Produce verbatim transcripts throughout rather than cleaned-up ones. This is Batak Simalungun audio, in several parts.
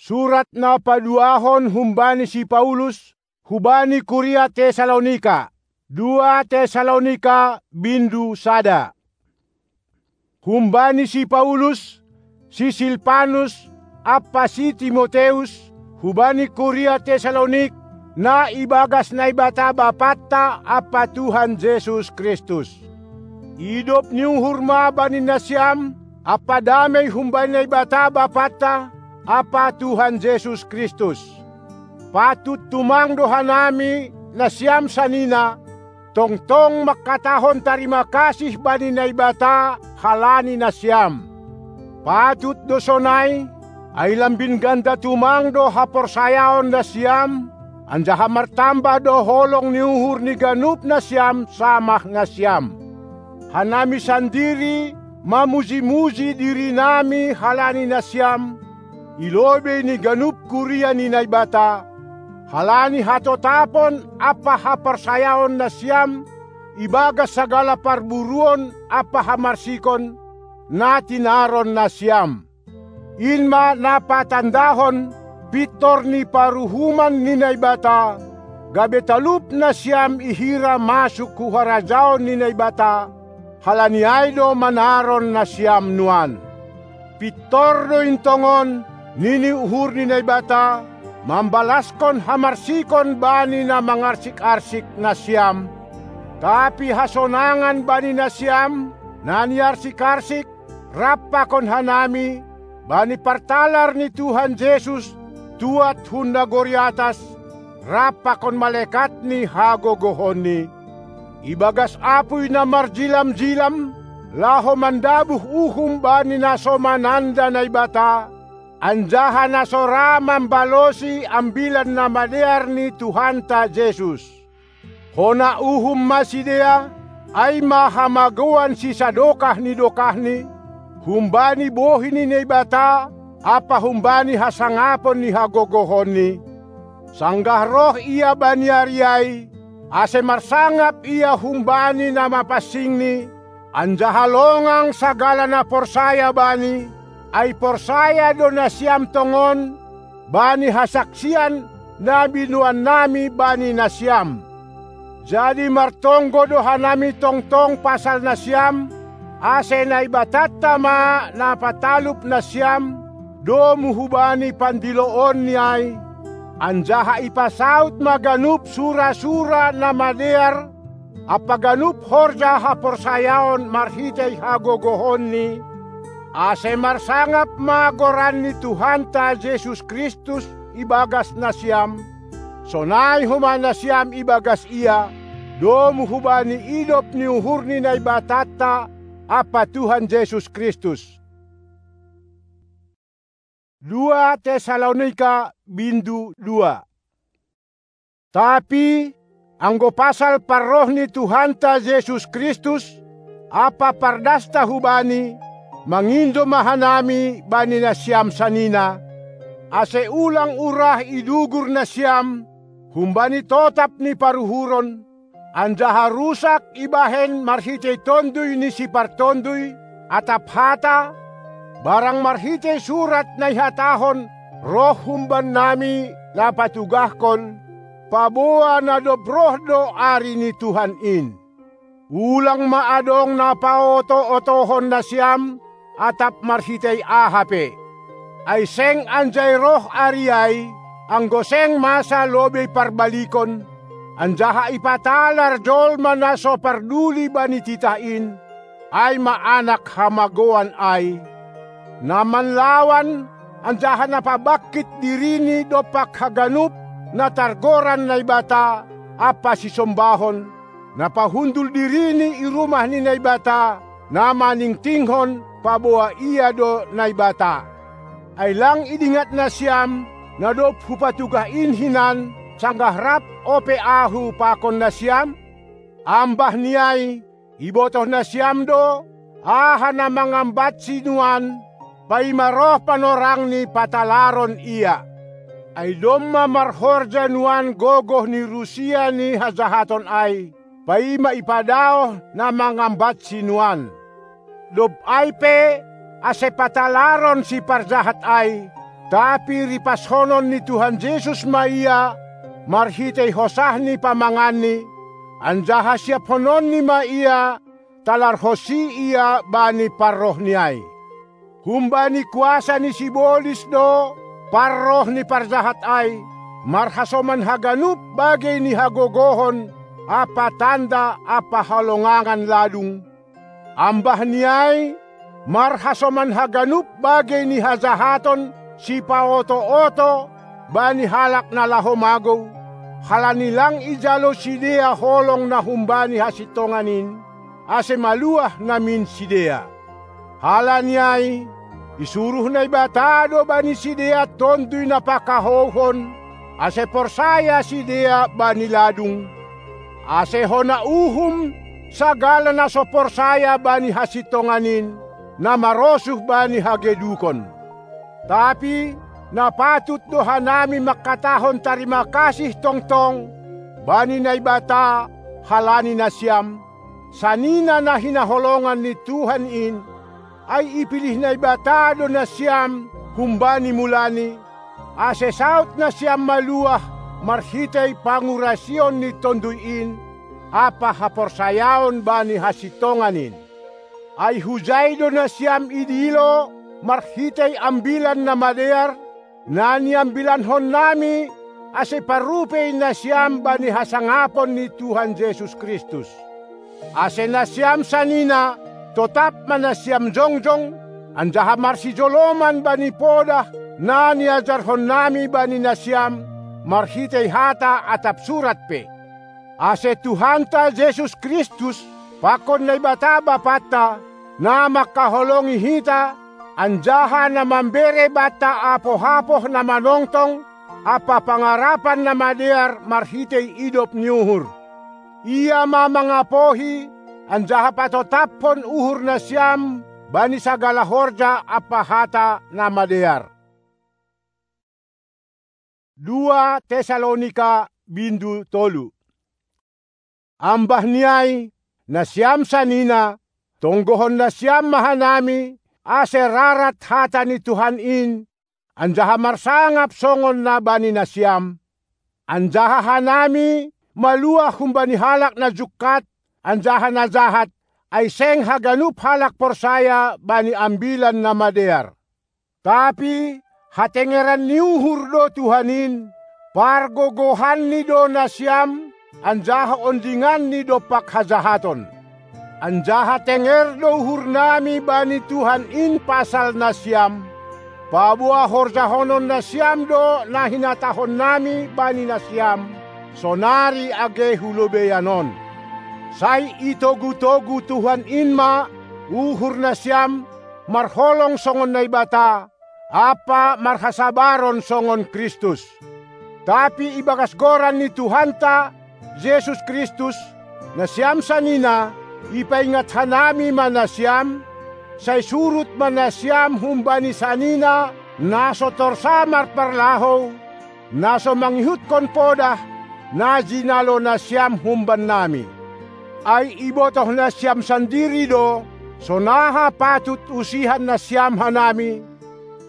Surat na paduahon humbani si Paulus hubani kuria Tesalonika. Dua Tesalonika bindu sada. Humbani si Paulus, si Silpanus, ampa si Timoteus, hubani kuria Tesalonik, na ibagas Naibata Bapanta ampa Tuhan Jesus Kristus. Idop ni uhur ma bani nasiam, ampa damei humbani Naibata Bapanta ampa Tuhan Jesus Kristus. Patut tumang do hanami, nasiam sanina, tongtong mangkatahon tarima kasih bani Naibata halani nasiam. Patut do sonai, ai lambin ganda tumang do haporsayaon nasiam, anjaha martamba do holong ni uhur ni ganup nasiam samah nasiam. Hanami sandiri mamuji-muji dirinami halani nasiam, i lobei ni ganup kuria ni Naibata, halani hatotapon ampa haporsayaon nasiam ibagas sagala parburuon ampa hamarsikon, na tinaron nasiam. In ma na patandahon pintor ni paruhuman ni Naibata, gabe talup nasiam ihira masuk hu harajaon ni Naibata, halani ai do manaron nasiam nuan. Pintor do in tongon, nini uhur ni Naibata, mambalaskon hamarsikon bani na mangarsik-arsik nasiam, tapi hasonangan bani nasiam, na niarsik-arsik, rap pakon hanami, bani partalar ni Tuhan Jesus, tuat hun nagori atas, rap pakon malekat ni hagogohonNi. Ibagas apuy na marjilam-jilam, laho mandabuh uhum bani na so mananda Naibata, anjaha na so ra mambalosi Ambilan Namadear ni Tuhanta Jesus. Hona uhum ma sidea, ai ma hamagoan sisadokah ni dokahni, humbani bohi ni Naibata ampa humbani hasangapon ni hagogohonNi. Sanggah roh Ia bani ari ai, ase marsangap Ia humbani na mapansingNi, anjaha longang sagala na porsaya Bani, ai porsaya do nasiam tongon bani hasaksian na binoannami bani nasiam. Jadi martonggo do hanami tongtong pasal nasiam, ase Naibatanta ma na patalup nasiam, domu hubani pandiloonNi ai, anjaha ipasaut ma ganup sura-sura na madear, ampa ganup horja haporsayaon marhitei hagogohonNi, ase marsangap ma goran ni Tuhanta Jesus Kristus ibagas nasiam, sonai homa nasiam ibagas Ia, domu hubani idop ni uhur ni Naibatanta ampa Tuhan Jesus Kristus. Dua Tesalonika bindu dua. Tapi, anggo pasal parroh ni Tuhanta Jesus Kristus ampa pardasta hu Bani, mangindo ma hanami bani nasiam sanina, ase ulang urah idugur nasiam humbani totap ni paruhuron, anjaha rusak ibahen marhitei Tonduy ni Sipartonduy atap hata, barang marhitei surat na ihatahon roh humbannami na patugahkon, paboa na dob roh do ari ni Tuhan in. Ulang ma adong na paoto-otohon nasiam atap marhitei aha pe. Ai seng anjai roh ari ai, anggo seng masa lobei parbalikon, anjaha ipatalar jolma na so parduli bani titah in, ai ma anak hamagoan ai, na manlawan anjaha na pabangkit dirini dompak haganup na targoran Naibata ampa sisombahon, na pahundul dirini i rumah ni Naibata, na maningtinghon paboa Ia do Naibata. Ai lang idingat nasiam, na dob hupatugah in hinan, sanggah rap ope ahu pakon nasiam? Ambah ni ai, ibotoh nasiam do, aha na mangambatsi nuan, paima roh panorangni patalaron Ia. Ai domma marhorja nuan gogoh ni rusia ni hajahaton ai, paima ipadaoh na mangambatsi nuan. Dob ai pe, ase patalaron siparjahat ai, Tapi ripashonon ni Tuhan Jesus ma ia marhitei hosah ni pamanganni, anjaha siaphononni ma ia talarhosi ia bani parrohni ai. Humbani kuasa ni sibolis do parroh ni parjahat ai, marhasoman haganup bagei ni hagogohon ampa tanda ampa halongangan ladung, ambah ni ai, marhasoman haganup bagei ni hajahaton sipaoto-oto bani halak na laho magou, halani lang ijalo sidea holong na humbani hasintongan in, ase maluah namin sidea. Halani ai, isuruh Naibata do bani sidea Tonduy Na Pangkahouhon, ase porsaya sidea bani ladung, ase hona uhum sagala na so porsaya bani hasintongan in, na marosuh bani hagedukon. Tapi na patut do hanami mangkatahon tarima kasih tongtong bani Naibata halani nasiam, sanina na hinaholongan ni Tuhan in, ai ipilih Naibata do nasiam humbani mulani, ase saut nasiam maluah marhitei pangurasion ni Tonduy in ampa haporsayaon bani hasintongan in. Ai hujai do nasiam idilo marhitei Ambilan Namadear, na niambilanhonnami, ase parrupei nasiam bani hasangapon ni Tuhan Jesus Kristus. Ase nasiam sanina totap ma nasiam jongjong, anjaha marsijoloman bani podah na niajarhonnami bani nasiam marhitei hata atap surat pe. Ase Tuhanta Jesus Kristus pakon Naibata Bapanta, na mangkaholongi hita, anjaha na mambere banta apoh-apoh na manongtong ampa pangarapan na madear marhitei idop ni uhur. Ia ma mangapohi, anjaha patotaphon uhur nasiam bani sagala horja ampa hata na madear. Dua Tesalonika bindu tolu. Ambah ni ai, nasiam sanina, tonggohon nasiam ma hanami, ase rarat hata ni Tuhan in, anjaha marsangap songon na bani nasiam. Anjaha hanami maluah humbani halak na jungkat, anjaha na jahat, ai seng haganup halak porsaya bani Ambilan Namadear. Tapi hatengeran ni uhur do Tuhan in, pargogohanni do nasiam, anjaha ondinganni dompak hajahaton. Anjaha tenger do uhurnami bani Tuhan in pasal nasiam, paboa horjahonon nasiam do na hinatahonnami bani nasiam, sonari age hu lobeian on. Sai itogu-togu Tuhan in ma uhur nasiam, marholong songon Naibata, ampa marhasabaron songon Kristus. Tapi ibagas goran ni Tuhanta Jesus Kristus, nasiam sanina, ipaingat hanami ma nasiam, sai surut ma nasiam humbani sanina na so torsa marparlahou, na so mangihutkon podah, na jinalo nasiam humbannami. Ai ibotoh nasiam sandiri do, sonaha patut usihan nasiam hanami,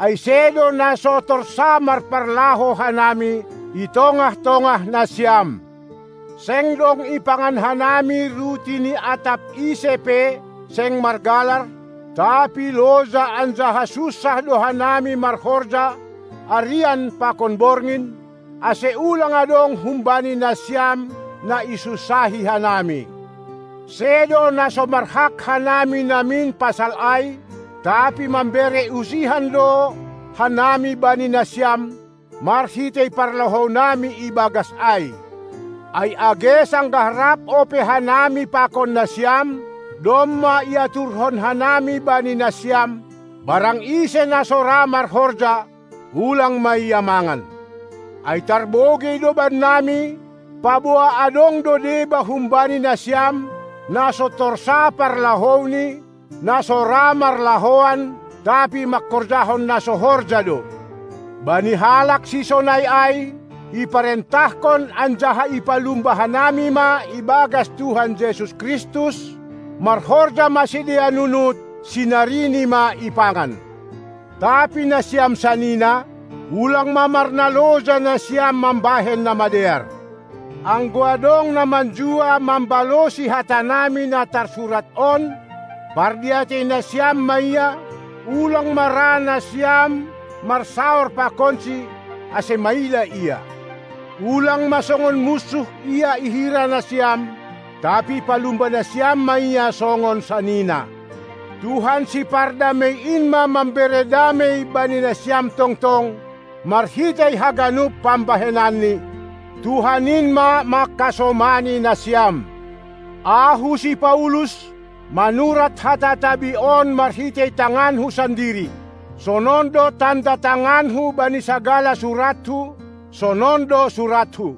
ai sedo na so torsa marparlahou hanami i tongah-tongah nasiam. Seng dong ipangan hanami ruti ni atap ise pe, seng margalar, tapi loja anjaha sunsah do hanami marhorja, arian pakon borngin, ase ulang adong humbani nasiam na isunsahi hanami. Sedo na so marhak hanami namin pasal ai, tapi mambere usihan do hanami bani nasiam, marhitei parlahounami ibagas ai. Ai age sanggah rap ope hanami pakon nasiam, domma iaturhon hanami bani nasiam, barang ise na so ra marhorja, ulang ma ia mangan. Ai tarbogei do bannami, paboa adong do deba humbani nasiam, na so torsa parlahouni, na so ra marlahoan, tapi mangkorjahon na so horja do. Bani halak sisonai ai, iparentahkon anjaha ipalumba hanami ma ibagas Tuhan Jesus Kristus, marhorja ma sidea nunut, sinarini ma ipangan. Tapi nasiam sanina, Ulang ma marnaloja nasiam mambahen na madear. Anggo adong na manjua mambalosi hatanami na tarsurat on, pardiatei nasiam ma ia, ulang ma ra nasiam marsaor pakonsi, ase maila ia. Ulang ma songon munsuh ia ihira nasiam, tapi palumba nasiam ma ia songon sanina. Tuhan Sipardamei in ma mambere damei bani nasiam tongtong, marhitei haganup pambahenanni. Tuhan in ma mangkasomani nasiam. Ahu si Paulus, manurat hata tabi on marhitei tanganhu sandiri. Sonon do tanda tanganhu bani sagala surathu, sonon do surathu.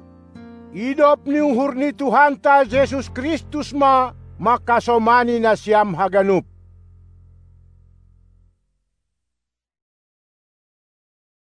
Idop ni uhur ni Tuhanta Jesus Kristus ma mangkasomani nasiam haganup.